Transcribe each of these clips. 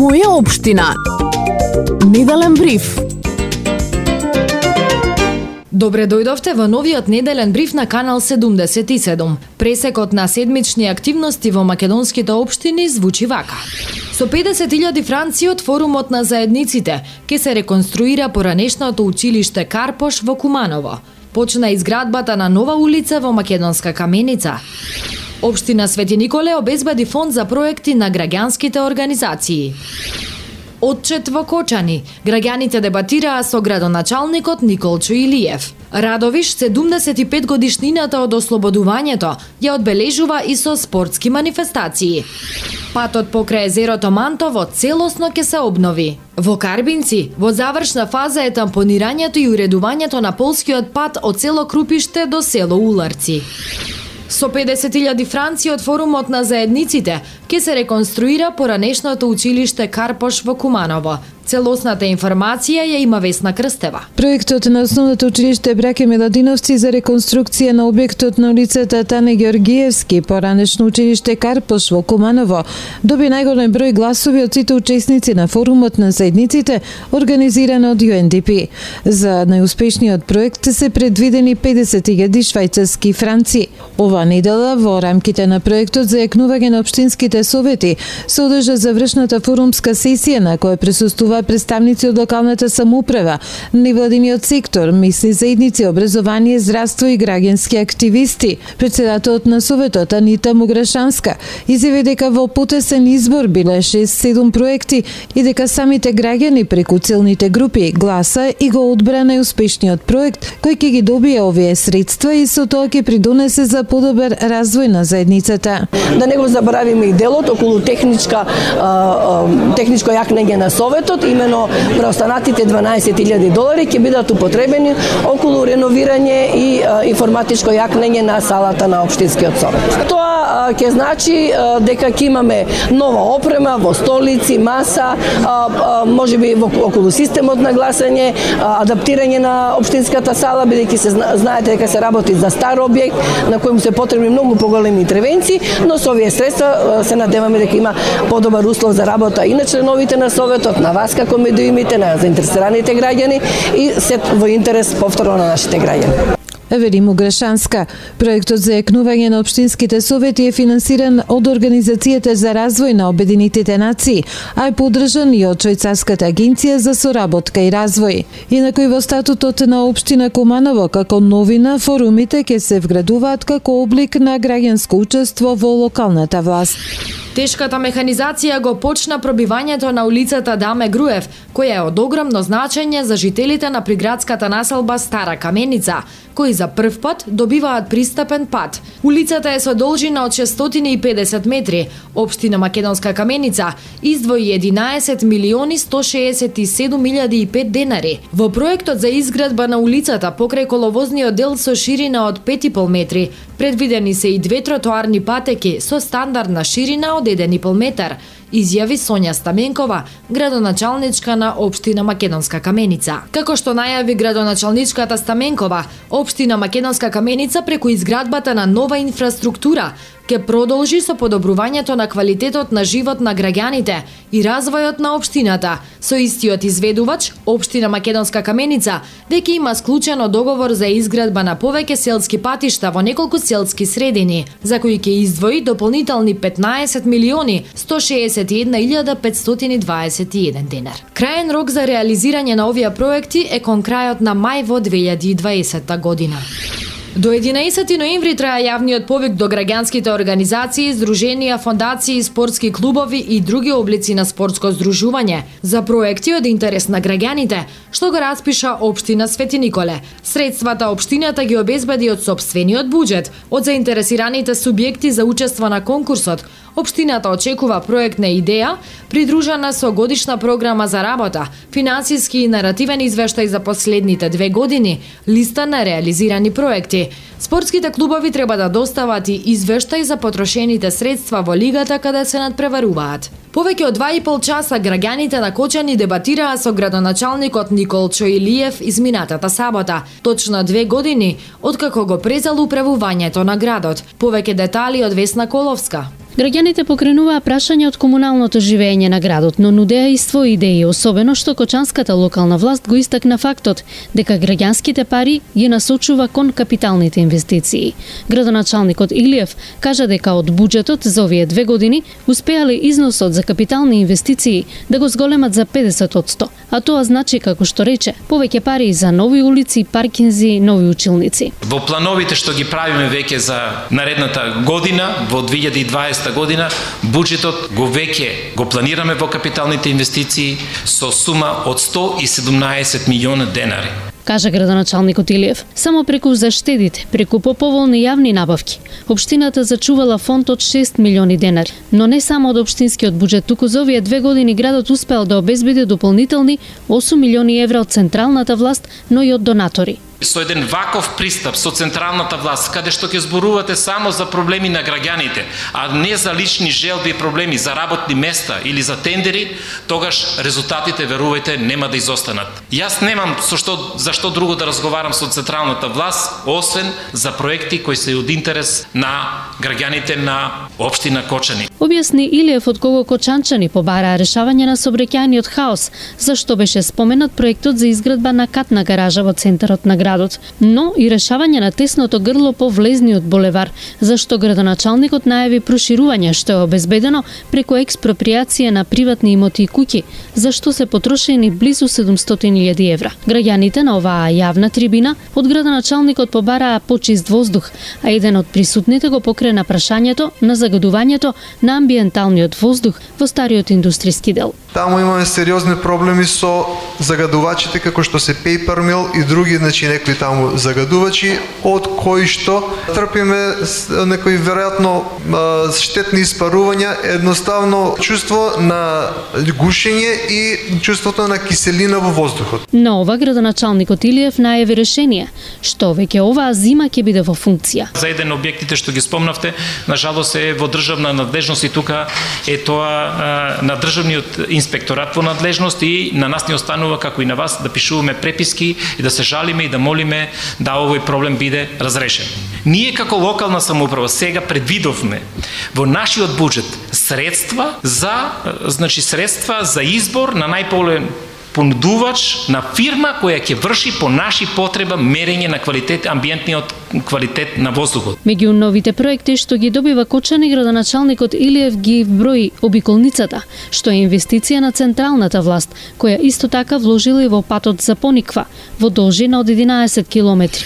Моја општина. Неделен бриф. Добре дојдовте во новиот неделен бриф на Канал 77. Пресекот на седмични активности во македонските општини звучи вака. Со 50.000 франци од форумот на заедниците ќе се реконструира поранешното училиште Карпош во Куманово. Почна изградбата на нова улица во Македонска Каменица. Општина Свети Николе обезбеди фонд за проекти на граѓанските организации. Отчет во Кочани. Граѓаните дебатираа со градоначалникот Николчо Илиев. Радовиш 75 годишнината од ослободувањето ја одбележува и со спортски манифестации. Патот покрај езерото Мантово целосно ќе се обнови. Во Карбинци, во завршна фаза е тампонирањето и уредувањето на полскиот пат од село Крупиште до село Уларци. Со 50.000 франци од форумот на заедниците ќе се реконструира поранешното училиште Карпош во Куманово. Целосната информација ја има Весна Крстева. Проектот на основното училиште Браке Миладиновци за реконструкција на објектот на улицата Тане Георгиевски, поранешно училиште Карпош во Куманово, доби најголем број гласови од сите учесници на форумот на заедниците, организиран од UNDP. За најуспешниот проект се предвидени 50.000 швајцарски франци. Ова недела во рамките на проектот за јакнување на општинските совети се одржа завршната форумска сесија на која присуствува представници од локалната самоуправа, невладиниот сектор, месни заедници, образование, здравство и граѓански активисти. Председателот на советот Анита Муграшанска изјави дека во потесен избор биле 6-7 проекти и дека самите граѓани преку целните групи гласа и го одбра најуспешниот проект кој ќе ги добие овие средства и со тоа ќе придонесе за подобар развој на заедницата. Да не го заборавиме и делот околу техничко јакнење на советот, имено преостанатите $12.000 ќе бидат употребени околу реновирање и информатичко јакнење на салата на општинскиот совет. Тоа ќе значи дека ќе имаме нова опрема во столици, маса, можеби околу системот на гласање, адаптирање на општинската сала, бидејќи се знаете дека се работи за стар објект на кој му се потребни многу поголеми интервенции, но со овие средства се надеваме дека има подобар услов за работа и на членовите на советот, на вас како медиумите, на заинтересираните граѓани и се во интерес повторно на нашите граѓани. Вели Муграшанска. Проектот за јакнување на општинските совети е финансиран од Организацијата за развој на Обединетите нации, а е поддржан и од Швајцарската агенција за соработка и развој. Инаку и во статутот на општина Куманово како новина форумите ќе се вградуваат како облик на граѓанско учество во локалната власт. Тешката механизација го почна пробивањето на улицата Даме Груев, која е од огромно значење за жителите на приградската населба Стара Каменица, кои за прв пат добиваат пристапен пат. Улицата е со должина од 650 метри. Општина Македонска Каменица издвои 11.167.005 денари. Во проектот за изградба на улицата покрај коловозниот дел со ширина од 5,5 метри, предвидени се и 2 тротоарни патеки со стандардна ширина од 1,5 метар, изјави Сонја Стаменкова, градоначалничка на општина Македонска Каменица. Како што најави градоначалничката Стаменкова, општина Македонска Каменица преку изградбата на нова инфраструктура ќе продолжи со подобрувањето на квалитетот на живот на граѓаните и развојот на општината. Со истиот изведувач, општина Македонска Каменица веќе има склучено договор за изградба на повеќе селски патишта во неколку селски средини, за кои ќе издвои дополнителни 15.161.521 денар. Крајен рок за реализирање на овие проекти е кон крајот на мај во 2020 година. До 11 ноември трае јавниот повик до граѓанските организации, здруженија, фондации, спортски клубови и други облици на спортско здружување за проекти од интерес на граѓаните, што го распиша општина Свети Николе. Средствата општината ги обезбеди од сопствениот буџет, од заинтересираните субјекти за учество на конкурсот. Општината очекува проектна идеја, придружена со годишна програма за работа, финансиски и наративен извештај за последните 2 години, листа на реализирани проекти. Спортските клубови треба да достават и извештај за потрошените средства во лигата каде се надпреваруваат. Повеќе од 2,5 часа граѓаните на Кочани дебатираа со градоначалникот Николчо Илиев изминатата сабота, точно 2 години откако го презал управувањето на градот. Повеќе детали од Весна Коловска. Граѓаните покренуваа прашања од комуналното живење на градот, но нудеа и своји идеи, особено што кочанската локална власт го истакна фактот дека граѓанските пари ги насочува кон капиталните инвестиции. Градоначалникот Илиев кажа дека од буџетот за овие 2 години успеале износот за капитални инвестиции да го зголемат за 50%, а тоа значи, како што рече, повеќе пари за нови улици, паркинзи, нови училници. Во плановите што ги правиме веќе за наредната година, во 2020 година, буџетот го планираме во капиталните инвестиции со сума од 117 милиона денари. Кажа градоначалникот Илиев. Само преку заштедите, преку поповолни јавни набавки, општината зачувала фонд од 6 милиони денари. Но не само од општинскиот буџет, туку за овие 2 години градот успеал да обезбеди дополнителни 8 милиони евра од централната власт, но и од донатори. Со еден ваков пристап со централната власт, каде што ќе зборувате само за проблеми на граѓаните, а не за лични желби и проблеми, за работни места или за тендери, тогаш резултатите, верувајте, нема да изостанат. Јас немам зашто друго да разговарам со централната власт, освен за проекти кои се од интерес на граѓаните на општина Кочани. Објасни Илиев од кого кочанчани побараа решавање на сообраќајниот хаос, зашто беше споменат проектот за изградба на катна гаража во центарот на градот, но и решавање на тесното грло по влезниот булевар, зашто градоначалникот најави проширување што е обезбедено преку експроприација на приватни имоти и куќи, зашто се потрошени близу 700.000 евра. Граѓаните на оваа јавна трибина од градоначалникот побараа почист воздух, а еден од присутните го покрена прашањето на загадувањето на амбиенталниот воздух во стариот индустријски дел. Таму имаме сериозни проблеми со загадувачите како што се Paper Mill и други, некои таму загадувачи, од кои што трпиме некои веројатно штетни испарувања, едноставно чувство на гушење и чувството на киселина во воздухот. На ова градоначалникот Илиев најави решение, што веќе оваа зима ќе биде во функција. За еден објектите што ги спомнавте, на жалост е во државна надлежност и тука е тоа на државниот инспекторат во надлежност и на нас ни останува, како и на вас, да пишуваме преписки и да се жалиме и да молиме да овој проблем биде разрешен. Ние како локална самоуправа сега предвидовме во нашиот буџет средства за избор на најполен понудувач на фирма која ќе врши по наши потреба мерење на квалитет, амбиентниот квалитет на воздухот. Меѓу новите проекти што ги добива Кочани, градоначалникот Илиев ги брои обиколницата, што е инвестиција на централната власт, која исто така вложила и во патот за Пониква, во должина од 11 километри.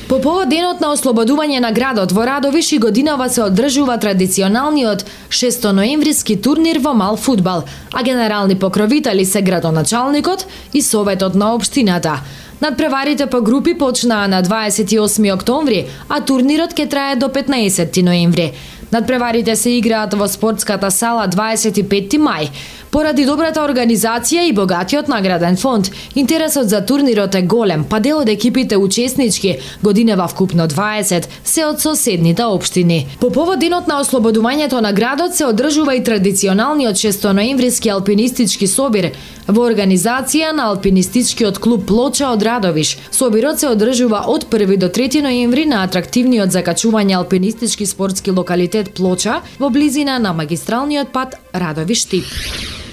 По повод денот на ослободување на градот во Радовиш и годинава се одржува традиционалниот 6-ноемвриски турнир во мал фудбал, а генерални покровители се градоначалникот и советот на општината. Надпреварите по групи почнаа на 28 октомври, а турнирот ќе трае до 15 ноември. Надпреварите се играат во спортската сала 25 мај. Поради добрата организација и богатиот награден фонд, интересот за турнирот е голем, па дел од екипите учеснички, годинева вкупно 20, се од соседните општини. По повод денот на ослободувањето на градот се одржува и традиционалниот 6-ноемвриски алпинистички собир во организација на алпинистичкиот клуб Плоча од Радовиш. Собирот се одржува од 1 до 3 ноември на атрактивниот за качување алпинистички спортски локалитет Плоча во близина на магистралниот пат Радовиш-Тип.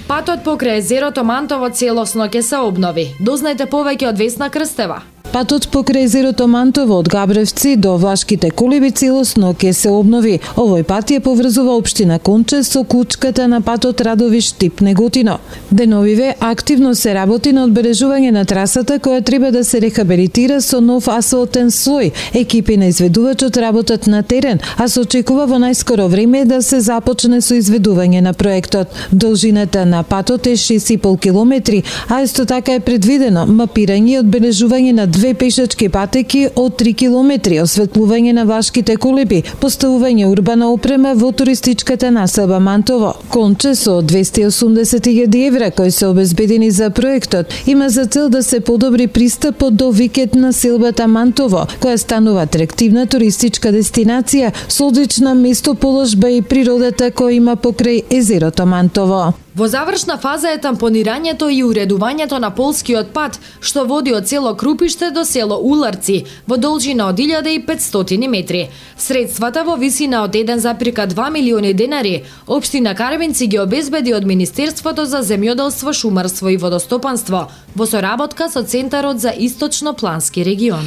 Патот покрај езерото Мантово целосно ќе се обнови. Дознајте повеќе од Весна Крстева. Патот покрај езерото Мантово од Габревци до Влашките колиби целосно ќе се обнови. Овој пат ја поврзува општина Конче со кучката на патот Радовиш-Тип Неготино. Деновиве активно се работи на одбележување на трасата која треба да се рехабилитира со нов асфалтен слој. Екипи на изведувачот работат на терен, а се очекува во најскоро време да се започне со изведување на проектот. Должината на патот е 6,5 километри, а исто така е предвидено мапирање и одбележување на 2 пешачки патеки од 3 километри, осветлување на Влашките колиби, поставување урбана опрема во туристичката населба Мантово. Конче со 280.000 евра кои се обезбедени за проектот има за цел да се подобри пристапот до викенд на селбата Мантово, која станува атрактивна туристичка дестинација со одлична местоположба и природата која има покрај езерото Мантово. Во завршна фаза е тампонирањето и уредувањето на полскиот пат, што води од село Крупиште до село Уларци во должина од 1500 метри. Средствата во висина од 1,2 милиони денари општина Карвинци ги обезбеди од Министерството за земјоделство, шумарство и водостопанство во соработка со Центарот за Источно-плански регион.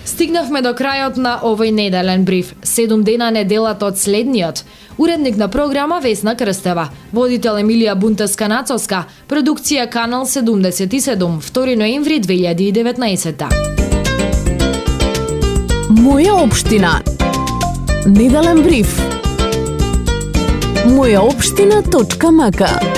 Стигнавме до крајот на овој неделен бриф. 7 дена неделата од следниот. Уредник на програма Весна Крстева, водител Емилија Бунтеска-Нацовска, продукција Канал 77, 2 ноември 2019. Моја општина. Неделен бриф. Мојаопштина.мк